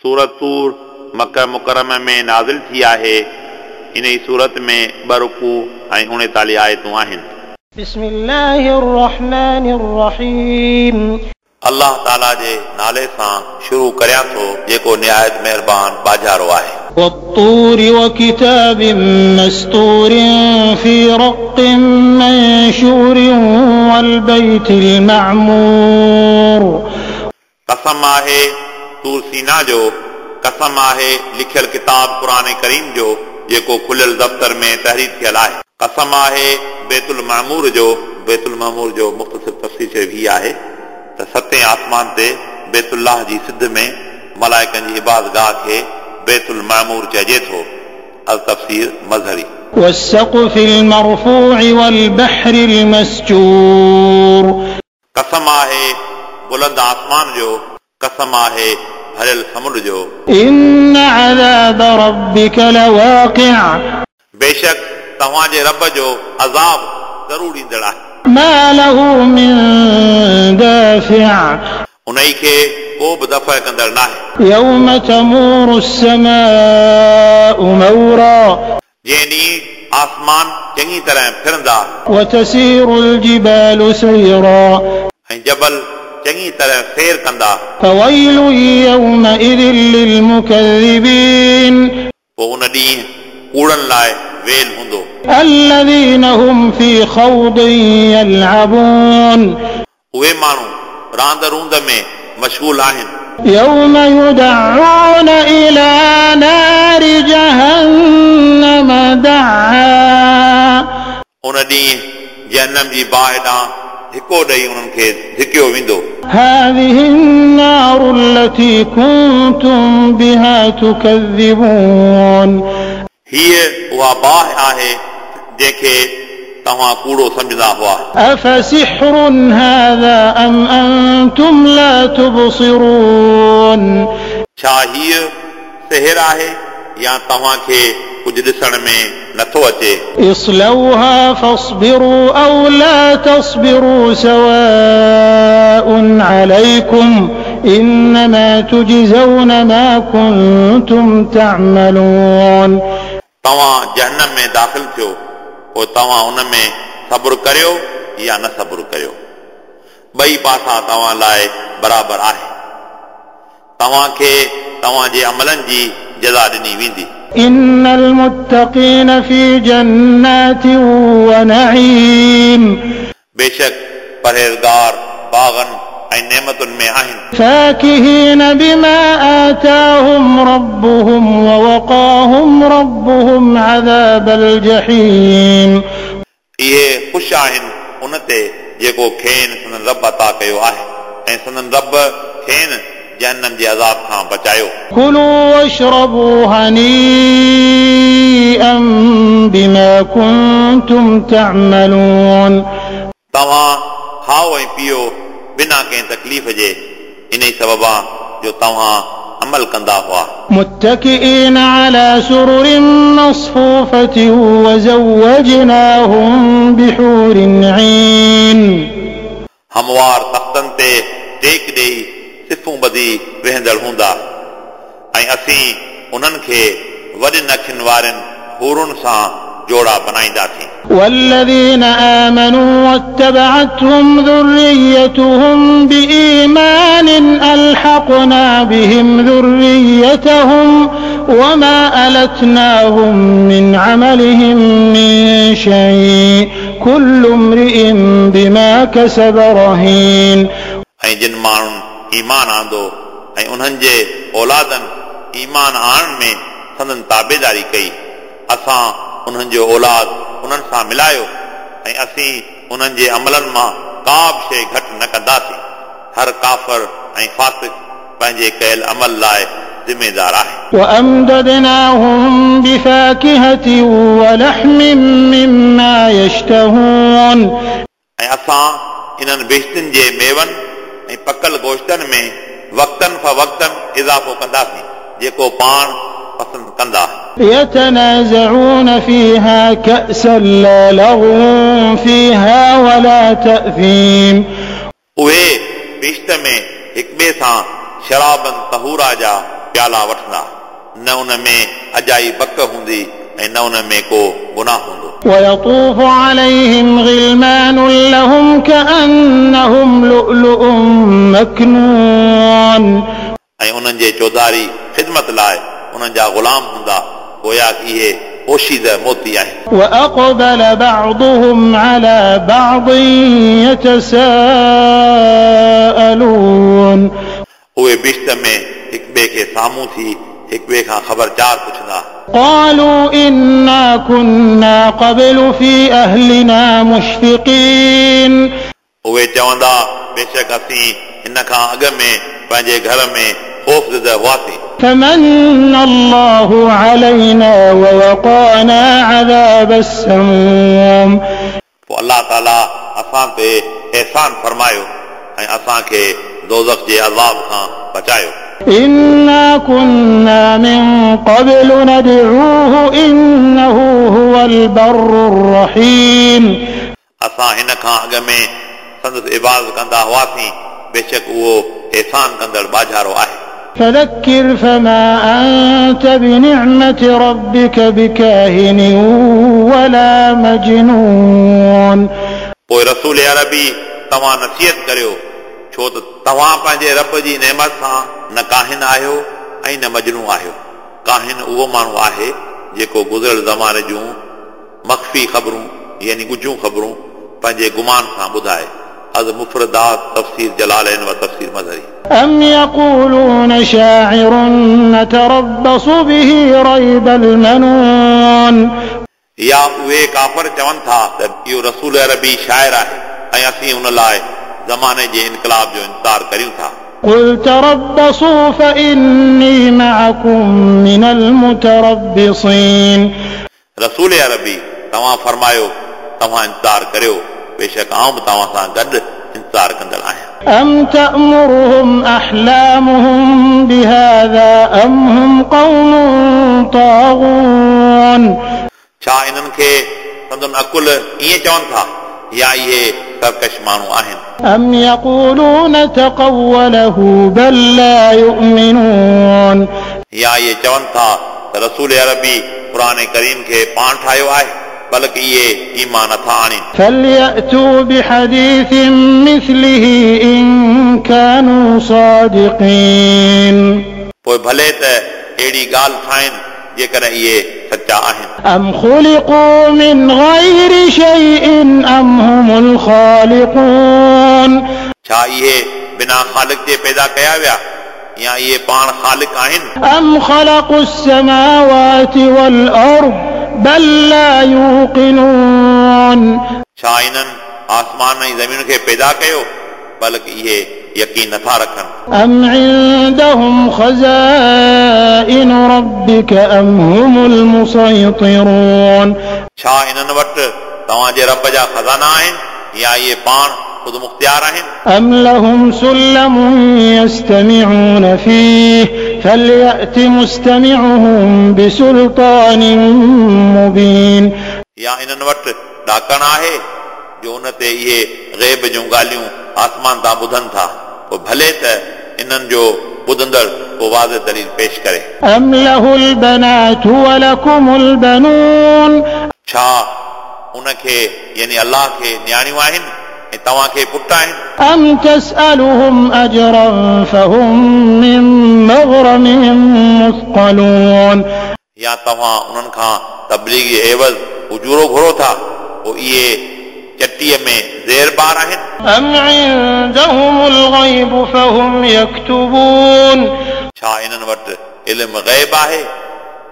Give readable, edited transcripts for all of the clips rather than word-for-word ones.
सूरत तूर मक्का मुकर्रमा में नाज़िल थी आहे। इन ई सूरत में ॿ रुकू ऐं 39 आयतूं आहिनि। بسم الله الرحمن الرحيم। अल्लाह ताला जे नाले सां शुरू करियां थो जेको निहायत महिरबान बाजारो आहे। والطور وكتاب مستور في رق منشور والبيت المعمور। कसम आहे तूर सीना जो, कसम आहे लिखियल किताब क़ुरान करीम जो जेको खुलियल दफ़्तर में तहरीर थियल आहे। कसम आहे बैतुल मामूर जो। बैतुल मामूर जो मुख़्तसिर तफ़सीर शरीफ़ ही आहे त सतें आसमान ते बैतुल्लाह जी सिध में मलाइकनि जी इबादगाह खे बैतुल मामूर चइजे थो। अल तफ़सीर मज़हरी। والسقف المرفوع والبحر المسجور। कसम आहे बुलंद आसमान जो, कसम आहे भरियल समुंड जो। إن عذاب ربك لواقع। बेशक तव्हांजे रब जो अज़ाब ज़रूर ईंदड़ आहे। ما له من دافع। उन्ही खे को बि दफ़ा कंदड़ नाहे। يوم تمور السماء مورا। जंहिं ॾींहुं आसमान चङी तरह फिरंदा। وتسير الجبال سيرا। ऐं जबल चङी तरह फेर कंदा। فويل يومئذ للمكذبين। पोइ उन ॾींहुं कूड़नि लाइ वेल हूंदो। الذين هم في خوض يلعبون। उहे माण्हू रांद रूंद में मशगूल आहिनि। يوم يدعون إلى نار جهنم دعا। उन ॾींहुं जहन्नम जी बाहि ॾांहुं हिको ॾेई उन्हनि खे धिकियो वेंदो। هذه النار التي كنتم بها تكذبون। हीअ उहा बाहि आहे जंहिंखे तव्हां कूड़ो सम्झंदा हुआ। أفسحر هذا أم أنتم لا تبصرون। छा हीअ सिहर आहे या तव्हांखे कुझु ॾिसण में नथो अचे? اصلوها فاصبروا أو لا تصبروا سواء عليكم إنما تجزون ما كنتم تعملون। तव्हां जहन्नम में दाख़िल थियो, पोइ तव्हां उन में सब्र करियो या न सब्र करियो, ॿई पासा तव्हां लाइ बराबरि आहे। तव्हांखे तव्हांजे अमलनि जी जज़ा ॾिनी वेंदी। إن المتقين في جنات ونعيم। बेशक परहेज़गार बाग़नि ऐं नेमतुनि में आहिनि। فاكهين بما آتاهم ربهم ووقاهم ربهم عذاب الجحيم। इहे ख़ुशि आहिनि उन ते जेको खेनि संदन रब अता कयो आहे ऐं संदन रब खेनि जहन्नम जे अज़ाब खां बचायो। كلوا واشربوا هنيئا بما كنتم تعملون। तव्हां खाओ ऐं पियो बिना कंहिं तकलीफ़ जे, इन ई सबबा जो तव्हां अमल कंदा हुआ। متكئين على سرر مصفوفة وزوجناهم بحور عين। हमवार तख़्तनि ते टेक ॾेई सिफूं ॿधी वेहंदड़ हूंदा ऐं असीं उन्हनि खे वॾियुनि अखियुनि वारनि हूरुनि सां जोड़ा बनाईंदासीं। والذين آمنوا واتبعتهم ذريتهم بإيمان ألحقنا بهم ذريتهم وما ألتناهم من عملهم من شيء كل امرئ بما كسب رهين। ऐं जिन माण्हुनि ईमान आंदो ऐं उन्हनि जे औलादनि ईमान आणण में संदन ताबेदारी कई, असां उन्हनि जो औलाद उन्हनि सां मिलायो ऐं असीं उन्हनि जे अमलनि मां का बि शइ घटि न कंदासीं। हर काफ़र ऐं फ़ासिक पंहिंजे कयल अमल लाइ ज़िम्मेदार आहे। وأمددناهم بفاكهة ولحم مما يشتهون। ऐं असां इन्हनि बेश्तिन जे मेवनि ऐं पकल गोश्तनि में वक़्तनि फ़वक़्तनि इज़ाफ़ो कंदासीं जेको पाण पसंदि कंदा। يتنازعون فيها كأسا لا لغو فيها ولا تأثيم। उहे बेश्त में हिक ॿिए सां शराबन तहूरा जा प्याला वठंदा, न उन में अजाई बक हूंदी ऐं न उन में को गुनाह हूंदो। ويطوف عليهم غلمان لهم كأنهم لؤلؤ مكنون ऐं उन्हनि जे चौधारी ख़िदमत लाइ उन्हनि जा ग़ुलाम हूंदा, गोया इहे पोशीद मोती आहिनि। وأقبل بعضهم على بعض يتساءلون उहे बिश्त में हिक ॿिए खे साम्हूं थी हिक ॿिए खां ख़बर चार पुछंदा। قالوا إنا كنا قبل في أهلنا مشفقين उहे चवंदा बेशक असीं हिन खां अॻु में पंहिंजे घर में ख़ौफ़ हुआसीं। فمن الله علينا ووقانا عذاب السموم पोइ अलाह ताला असां ते एहसान फरमायो ऐं असांखे दोज़ख जे अज़ाब खां बचायो। إنا كنا من قبل ندعوه إنه هو البر الرحيم असां हिन खां अॻु में संदसि इबादत कंदा हुआसीं, बेशक उहो एहसान कंदड़ बाजारो आहे। فذكر فما أنت بنعمة ربك بكاهن ولا مجنون पोइ रसूल अरबी तव्हां नसीहत करियो, छो त तव्हां पंहिंजे रब जी नेमत सां न काहिन आहियो ऐं न मजनू आहियो। काहिन उहो माण्हू आहे जेको गुज़िरियल ज़माने जूं मख़फ़ी ख़बरूं यानी ॻुझियूं ख़बरूं पंहिंजे गुमान सां ॿुधाए। अज़ मुफ़रदात तफ़सीर जलालैन व तफ़सीर मज़हरी। أم يقولون شاعر نتربص به ريب المنون या उहे काफ़र चवनि था त इहो रसूल अरबी शाइर आहे ऐं असीं उन लाइ ज़माने जे इनकलाब जो इंतज़ार करियूं था। قل تربصوا فإني معكم من المتربصين रसूल अरबी तव्हां फरमायो तव्हां इंतज़ार करियो, बेशक आउं बि तव्हां सां गॾु इंतज़ार कंदड़ आहियां। أم تأمرهم أحلامهم بهذا أم هم قوم طاغون छा इन्हनि खे संदन अकुल ईअं चवनि था या इहे सरकश माण्हू आहिनि? أم يقولون تقوله بل لا يؤمنون या इहे चवनि था त रसूल अरबी क़ुर करीम खे पाण ठाहियो आहे, बल्कि इहे ईमान नथा आणीनि। فليأتوا بحديث مثله إن كانوا صادقين पोइ भले त अहिड़ी ॻाल्हि ठाहिनि जेकॾहिं इहे सच्चा आहिनि। أم خلقوا من غير شيء أم هم الخالقون छा इहे बिना ख़ालिक जे पैदा कया विया या इहे पाण ख़ालिक आहिनि? أم خلقوا السماوات والأرض بل لا يوقنون छा इन्हनि आसमान ऐं ज़मीन खे पैदा कयो, बल्कि इहे यकीन नथा रखनि। أم عندهم خزائن ربك أم هم المسيطرون छा इन्हनि वटि तव्हांजे रब जा ख़ज़ाना आहिनि या इहे पाण ख़ुदि मुख़्तियार आहिनि? أم لهم سلم يستمعون فيه فليأت مستمعهم بسلطان مبين या इन्हनि वटि ॾाकण आहे जो उन ते इहे ग़ैब जूं ॻाल्हियूं आसमान तां ॿुधनि था, पोइ भले त इन्हनि जो ॿुधंदड़ को वाज़े दलील पेश करे। أم له البنات ولكم البنون छा उनखे यानी अल्लाह खे नियाणियूं आहिनि ऐं तव्हांखे पुट आहिनि? أم تسألهم أجرا فهم من مغرم مثقلون या तव्हां उन्हनि खां तबलीग जे एवज़ उजूरो घुरो था, पोइ इहे चटीअ में ज़ेर बार आहिनि? أم عندهم الغيب فهم يكتبون छा इन्हनि वटि इल्म ग़ैब आहे,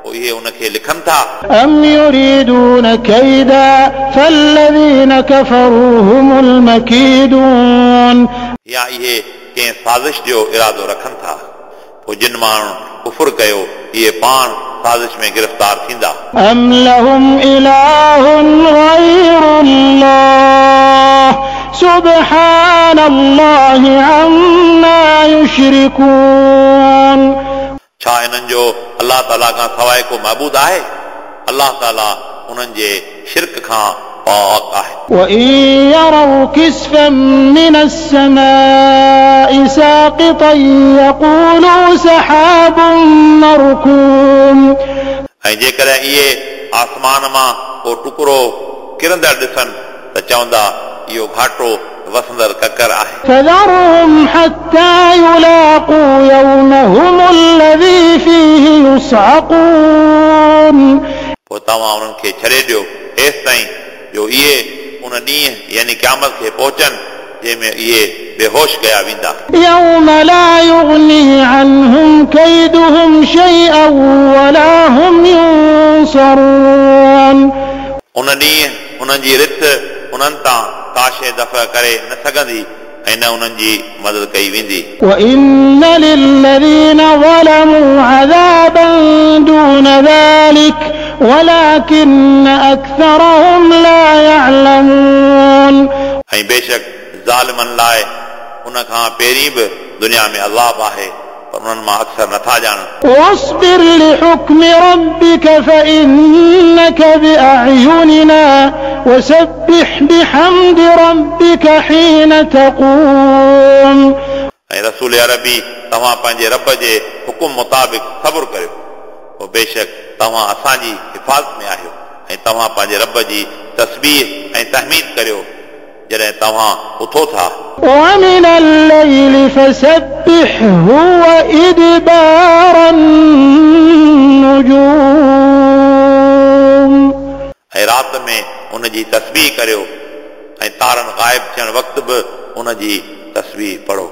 पोइ इहे उनखे लिखनि था? أم يريدون كيدا فالذين كفروا هم المكيدون या इहे कंहिं साज़िश जो इरादो रखनि था, पोइ जिन माण्हुनि कुफुर कयो इहे पाण साज़िश में गिरफ़्तार थींदा। أم لهم إله غير الله سبحان الله عما يشركون छा इन्हनि जो अलाह ताला खां सवाइ को महबूद आहे? अलाह ताला उन्हनि जे शिरक खां پاڪ آهي. وإن يروا كسفا من السماء ساقطا يقولوا سحاب مركوم. ऐं जेकॾहिं इहे आसमान मां को टुकड़ो किरंदड़ ॾिसनि त चवंदा इहो घाटो वसंदड़ ककर आहे। فذرهم حتى يلاقوا يومهم الذي فيه يصعقون. पोइ तव्हां उन्हनि खे छॾे ॾियो एसि ताईं जो इहे उन ॾींहुं यानी क़यामत खे पहुचनि जंहिंमें इहे बेहोश कया वेंदा। يوم لا يغني عنهم كيدهم شيئا ولا هم ينصرون. उन ॾींहुं उन्हनि जी रिथ उन्हनि तां का शइ दफ़ करे न सघंदी ऐं न उन्हनि जी मदद कई वेंदी। وإن للذين ظلموا عذابا دون ذلك ولكن أكثرهم لا يعلمون. ऐं बेशक ज़ालिमनि लाइ उन खां पहिरीं बि दुनिया में अज़ाब आहे पर उन्हनि मां अक्सर नथा ॼाणनि। واصبر لحكم ربك فإنك بأعيننا وسبح بحمد ربك حين تقوم. ऐं रसूल अरबी तव्हां पंहिंजे रब जे हुकुम मुताबिक़ सब्र करियो, पोइ बेशक तव्हां असांजी हिफ़ाज़त में आहियो ऐं तव्हां पंहिंजे रब जी तस्बीह ऐं तहमीद करियो जॾहिं तव्हां उथो था। ومن الليل فسبحه وإدبار النجوم. ऐं राति में उन जी तस्बीह करियो ऐं तारनि ग़ाइब थियण वक़्तु बि उन जी तस्बीह पढ़ो।